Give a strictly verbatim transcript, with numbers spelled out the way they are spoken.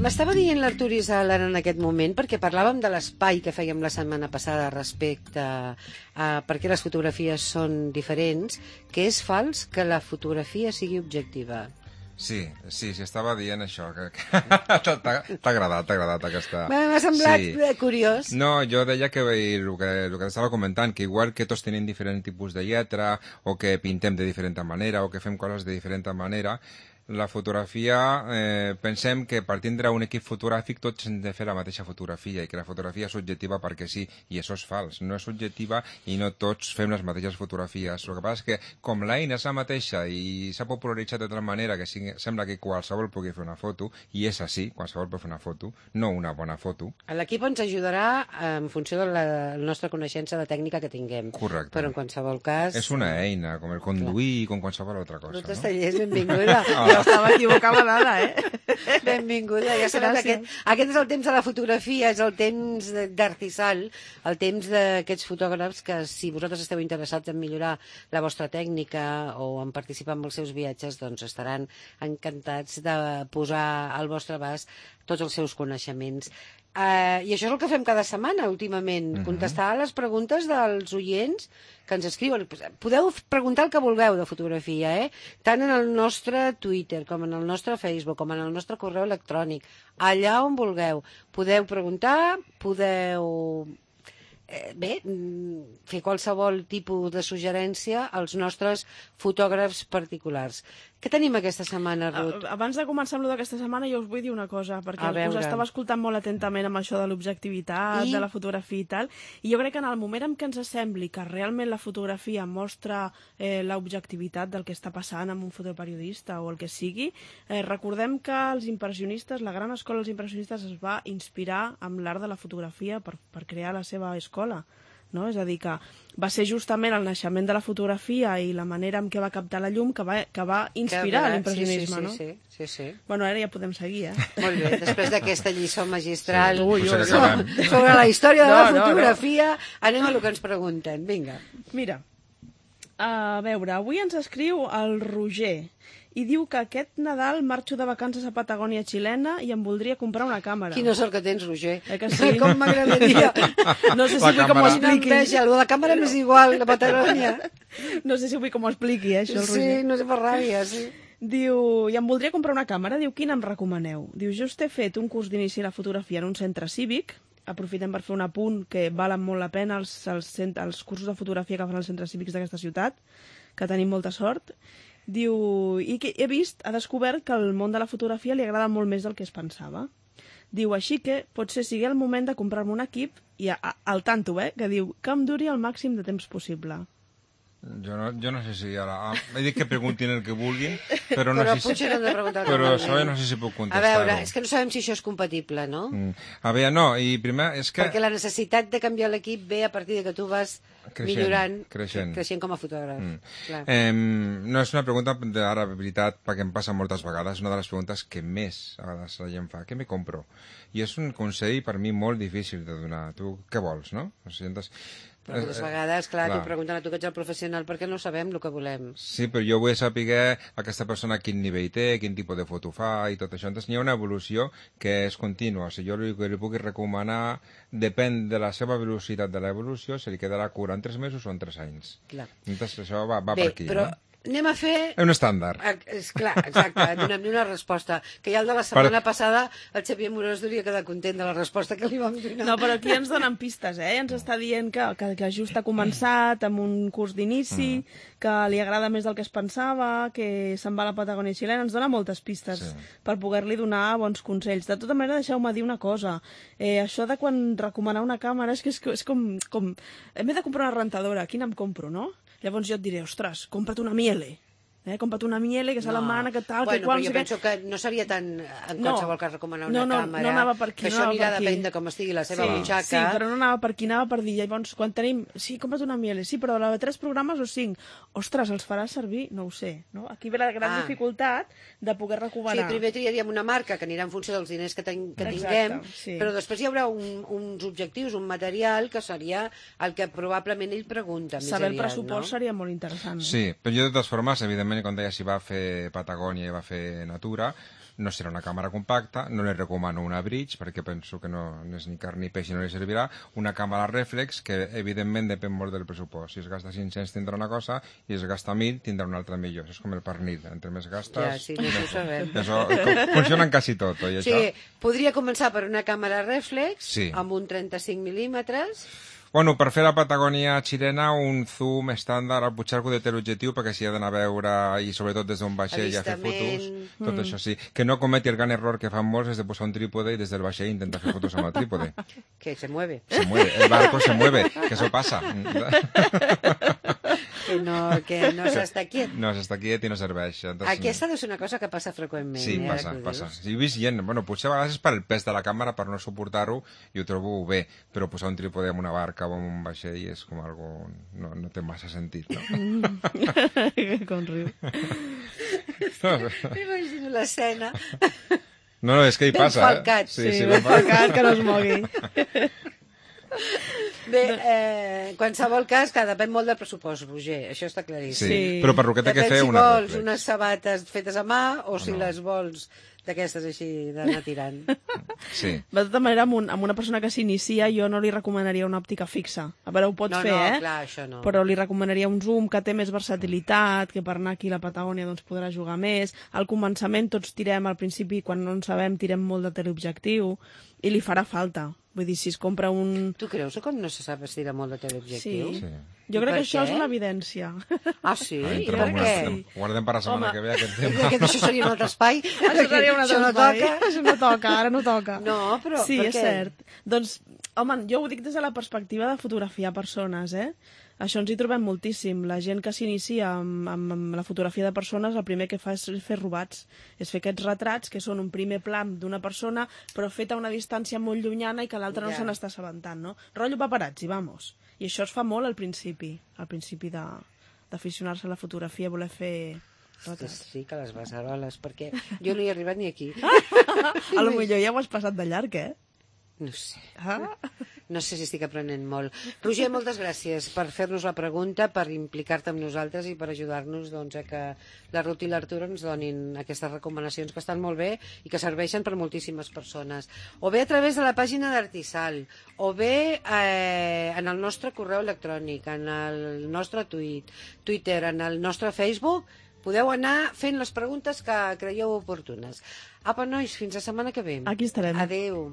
M'estava dient l'Artur Isaalar en aquest moment, perquè parlàvem de l'espai que fèiem la setmana passada respecte a, a per què les fotografies són diferents, que és fals que la fotografia sigui objectiva. Sí, sí, sí, estava dient això. Que, que t'ha agradat, t'ha agradat aquesta... M'ha semblat sí. curiós. No, jo deia que el que, el que estava comentant, que igual que tots tenim diferent tipus de lletra, o que pintem de diferent manera, o que fem coses de diferent manera, la fotografia, eh, pensem que per tindre un equip fotogràfic tots hem de fer la mateixa fotografia i que la fotografia és subjectiva perquè sí, i això és fals, no és subjectiva i no tots fem les mateixes fotografies. El que passa és que com l'eina és la mateixa i s'ha popularitzat de tal manera que sigui, sembla que qualsevol pugui fer una foto, i és així, qualsevol pot fer una foto, no una bona foto. L'equip ens ajudarà en funció de la nostra coneixença de tècnica que tinguem. Correcte. Però en qualsevol cas... És una eina, com el conduir, com qualsevol altra cosa. Lourdes Tallers, benvinguda. Oh. Estava equivocada nada, eh? Benvinguda. Ja sabeu que aquest, aquest és el temps de la fotografia, és el temps d'Artisal, el temps d'aquests fotògrafs que, si vosaltres esteu interessats en millorar la vostra tècnica o en participar en els seus viatges, doncs estaran encantats de posar al vostre abast tots els seus coneixements. Uh, I això és el que fem cada setmana, últimament, uh-huh. contestar les preguntes dels oients que ens escriuen. Podeu preguntar el que vulgueu de fotografia, eh? Tant en el nostre Twitter, com en el nostre Facebook, com en el nostre correu electrònic, allà on vulgueu. Podeu preguntar, podeu... Eh, bé, fer qualsevol tipus de suggerència als nostres fotògrafs particulars. Què tenim aquesta setmana, Ruth? Abans de començar amb el d'aquesta setmana, jo us vull dir una cosa, perquè us estava escoltant molt atentament amb això de l'objectivitat, I... de la fotografia i tal, i jo crec que en el moment en què ens sembli que realment la fotografia mostra eh, l'objectivitat del que està passant amb un fotoperiodista o el que sigui, eh, recordem que els impressionistes, la gran escola dels impressionistes es va inspirar amb l'art de la fotografia per, per crear la seva escola. No? És a dir, que va ser justament el naixement de la fotografia i la manera en què va captar la llum que va, que va inspirar que l'impressionisme, sí, sí, no? Sí, sí, sí. Bueno, ara ja podem seguir, eh? Molt bé, després d'aquesta lliçó magistral sí, ui, ui, sobre, sobre la història de no, la fotografia, no, no. anem a el que ens pregunten, vinga. Mira, a veure, avui ens escriu el Roger, i diu que aquest Nadal marxo de vacances a Patagònia xilena i em voldria comprar una càmera. Quina sort que tens, Roger. Eh que sí? Com m'agradaria. No sé si vull que m'ho expliqui. La càmera m'és igual, la Patagònia. No sé si vull que m'ho expliqui, eh, això, el Roger. Sí, no sé per ràbia, sí. Diu, i em voldria comprar una càmera, diu, quina em recomaneu? Diu, just he fet un curs d'inici a la fotografia en un centre cívic, aprofitem per fer un apunt que valen molt la pena els, els, els cursos de fotografia que fan els centres cívics d'aquesta ciutat, que tenim molta sort. Diu, i que he vist, ha descobert que el món de la fotografia li agrada molt més del que es pensava. Diu, així que potser sigui el moment de comprar-me un equip, i a, a, al tanto, eh, que diu que em duri el màxim de temps possible. Jo no, jo no sé si ara... He dit que preguntin el que vulguin, però no però sé si... De però això no sé si puc contestar-ho. A veure, és que no sabem si això és compatible, no? Mm. A veure, no, i primer és que... Perquè la necessitat de canviar l'equip ve a partir de que tu vas creixent, millorant, creixent. creixent com a fotògraf. Mm. Eh, no és una pregunta d'ara, veritat, perquè em passa moltes vegades, una de les preguntes que més a vegades la gent fa, què me compro? I és un consell per mi molt difícil de donar. Tu què vols, no? O sigui, entonces, però moltes vegades, clar, clar. t'ho pregunten a tu que ets el professional perquè no sabem el que volem. Sí, però jo vull saber aquesta persona quin nivell té, quin tipus de foto fa i tot això. Entonces hi ha una evolució que és contínua. O sigui, jo el que li puc recomanar depèn de la seva velocitat de l'evolució, se li quedarà cura en tres mesos o en tres anys. Clar. Entonces això va, va Bé, per aquí, però... no? Anem a fer... És un estàndard. És clar, exacte, donem-li una resposta. Que ja el de la setmana per... passada el Xavier Morós hauria quedat content de la resposta que li vam donar. No, però aquí ens donen pistes, eh? Ens està dient que, que, que just ha començat amb un curs d'inici, mm. que li agrada més del que es pensava, que se'n va a la Patagònia xilena. Ens dona moltes pistes sí. per poder-li donar bons consells. De tota manera, deixeu-me dir una cosa. Eh, això de quan recomanar una càmera és que és, és com, com... Hem de comprar una rentadora. Quina em compro, no? Llavors jo et diré, ostres, compra't una Miele. Eh, compra't una Miele, que és no. alemana, que tal, bueno, que qual... Bueno, però jo penso que... que no seria tan en qualsevol no. cas recomanar una no, no, càmera. No anava per aquí. Que això no anirà per depèn de com estigui la seva sí, butxaca. Sí, però no anava per aquí, anava per dir, llavors, quan tenim... Sí, compra't una Miele, sí, però de tres programes o cinc. Ostres, els faràs servir? No ho sé. No? Aquí ve la gran ah. dificultat de poder recomanar. Sí, primer triaríem una marca que anirà en funció dels diners que, ten, que tinguem, sí. però després hi haurà un, uns objectius, un material que seria el que probablement ell pregunta. Saber aviat, el pressupost no? seria molt interessant. Sí, però jo de totes formes, evidentment, quan deia si va fer Patagònia i va fer Natura, no serà una càmera compacta, no li recomano una bridge, perquè penso que no, no és ni carn ni peix i no li servirà, una càmera reflex, que evidentment depèn molt del pressupost. Si es gasta cinc-cents tindrà una cosa, i si es gasta mil tindrà una altra millor. Això és com el pernil, entre més gastes... Ja, sí, no ho sabem. Això, funciona en quasi tot, oi, això? Sí, podria començar per una càmera reflex, sí. amb un trenta-cinc mil·límetres... Bueno, per fer la Patagònia xilena, un zoom estàndard al Puigcerco de teleobjectiu, perquè s'hi ha d'anar a veure, i sobretot des d'un vaixell a fer fotos, tot mm. això sí. Que no cometi el gran error que fan molts, és de posar un trípode i des del vaixell intentar fer fotos amb el trípode. Que se mueve. Se mueve, el barco se mueve, que eso pasa. Que no, que no s'està quiet. No s'està quiet i no serveix. Entonces, aquesta deu ser una cosa que passa freqüentment. Sí, eh, passa, passa. Sí, he vist gent, bueno, potser a vegades és per el pes de la càmera, per no suportar-ho, i ho trobo bé, però posar un trípode en una barca o en un vaixell és com algo... No, no té massa sentit, no? Mm. Com riu. M'imagino l'escena. No, no, és que hi ben passa, falcat. eh? Sí, sí, sí, ben falcat, que no es mogui. Bé, eh, qualsevol cas, que depèn molt del pressupost, Roger, això està claríssim. Sí, sí. Però per lo que té que fer si una vols reflex. unes sabates fetes a mà o si no. les vols d'aquestes així d'anar tirant. Sí. De tota manera, amb, un, amb una persona que s'inicia jo no li recomanaria una òptica fixa. A veure, ho pots no, fer, no, eh? Clar, això no. Però li recomanaria un zoom que té més versatilitat, que per anar aquí a la Patagònia doncs, podrà jugar més. Al començament tots tirem, al principi, quan no en sabem, tirem molt de teleobjectiu i li farà falta. Vull dir, si es compra un... Tu creus que com no se sap estirar molt de teleobjectiu? Sí. sí. Jo crec que això és una evidència. Ah, sí? I per què? Ho guardem per la setmana Home. que ve, aquest tema. Que això seria un altre espai? Això seria un altre això no espai. toca? Això no toca, ara no toca. No, però sí, per és què? cert. Doncs, home, jo ho dic des de la perspectiva de fotografiar persones, eh? Això ens hi trobem moltíssim. La gent que s'inicia amb, amb, amb la fotografia de persones, el primer que fa és fer robats. És fer aquests retrats, que són un primer plan d'una persona, però fet a una distància molt llunyana i que l'altre no Ja. se n'està assabentant, no? Rotllo paparazzi, vamos. I això es fa molt al principi, al principi de, d'aficionar-se a la fotografia, voler fer retrats. Sí, que les beceroles, perquè jo no hi he arribat ni aquí. A lo millor ja ho has passat de llarg, eh? No sé. Ah? No sé si estic aprenent molt. Roger, moltes gràcies per fer-nos la pregunta, per implicar-te amb nosaltres i per ajudar-nos doncs, a que la Ruth i l'Artur ens donin aquestes recomanacions que estan molt bé i que serveixen per moltíssimes persones. O bé a través de la pàgina d'Artisal, o bé eh, en el nostre correu electrònic, en el nostre tuit, Twitter, en el nostre Facebook, podeu anar fent les preguntes que creieu oportunes. Apa, nois, fins la setmana que ve. Aquí estarem. Adéu.